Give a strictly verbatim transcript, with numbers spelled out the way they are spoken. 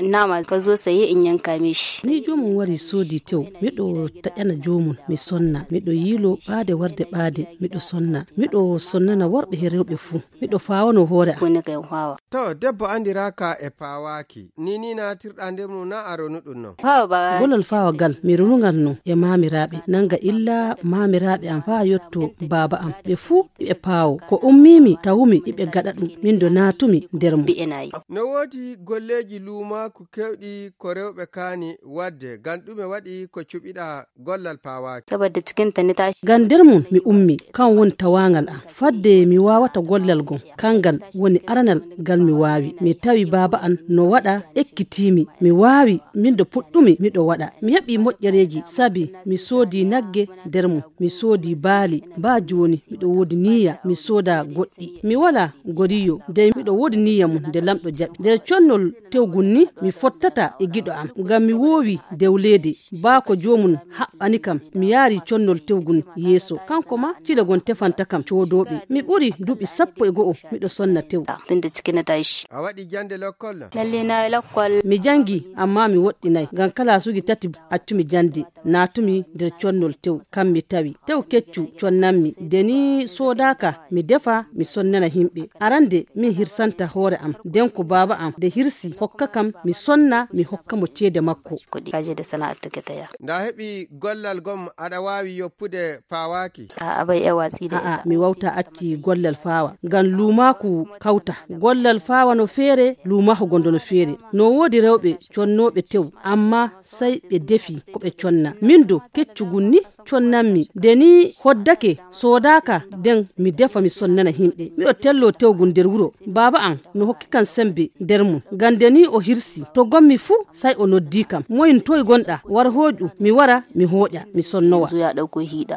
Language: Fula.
Nama ka zo saye in yanka mishi. Ni joomum wari soodi tew, miɗo taƴana joomum, mi sonna, miɗo yiilo ɓaade warde ɓaade, miɗo sonna, miɗo sonnana worɓe he rewɓe fuu, miɗo faawano hoore am. Ko ne kay faawa. To, debbo anndiraaka e paawaaki, ni ni naatirɗaa nder mum na a ronu ɗum non. Faawa ba. Gollal faawa gal, mi ronungal non e maamiraaɓe, nanga illa maamiraaɓe am faa yotto baaba am. Ɓe fuu iɓe paawo. Ko ummiimi tawumi iɓe gaɗa ɗum, min do naatumi nder mum. Mbi'e nayi. No woodi golleeji luumaaku keewɗi ko rewɓe kaani waɗde, ngam ɗume waɗi ko cuɓiɗaa gollal paawaaki? Saboda cikinta ni tashi. Ngam nder mum mi ummi, kan woni tawaangal am. Fadde mi waawata gollal gom, kangal woni aranal ngal mi waawi. Mi tawi baaba am no waɗa, ekkitiimi. Mi waawi, min do puɗɗumi miɗo waɗa. Mi heɓi moƴƴereeji, sabi mi soodi nagge nder mum. Mi soodi baali, baa jooni miɗo woodi niyya mi sooda goɗɗi. Mi walaa goriyo, dey miɗo woodi niyya mum nde Laamɗo jaɓi. Nder connol tew ngun ni mi fottata e giɗo am, ngam mi woowi dewleede. Baa ko joomum haɓɓani kam, mi yaari connol tew ngun yeeso. Kanko maa, cile gon tefanta kam coodooɓe. Mi ɓuri duuɓi sappo e go'o miɗo sonna tew. Tun da cikin na tashi. A waɗi jannde lokkol? Lalle na yi lokkol. Mi janngi, ammaa mi woɗɗinaay, ngam kalaasuuji tati accumi jannde. Naatumi nder connol tew, kam mi tawi. Tew keccu connanmi, nde ni soodaaka, mi defa, mi sonnana himɓe. Arande, min hirsanta hoore am, nden ko baaba am, nde hirsi, hokka kam, mi sonna, mi hokka mo ceede makko. Kuɗi. Kaje da sana'ar take ta ya. Nda heɓi gollal gom aɗa waawi yoppude paawaaki? A'a, bai yawa tsi da A'a, ita. Mi wawta acci gollal faawa, ngam luumaaku kawta. Gollal faawa no feere, luumaaku gondo no feere. No woodi rewɓe connooɓe tew, amma sai ɓe defi ko ɓe conna. Min do, keccu ngun ni connanmi. Nde ni hoddake, soodaaka, nden mi defa mi sonnana himɓe. Miɗo tello tew ngun nder wuro. Baaba am no hokki kam sembe nder mum. Ngam nde ni o hirsi, to gommi fuu, sai o noddi kam. Moyin toy gonɗa, war hooƴu, mi wara, mi hooƴa, mi sonnowa. Yanzu ya ɗauko hiɗa.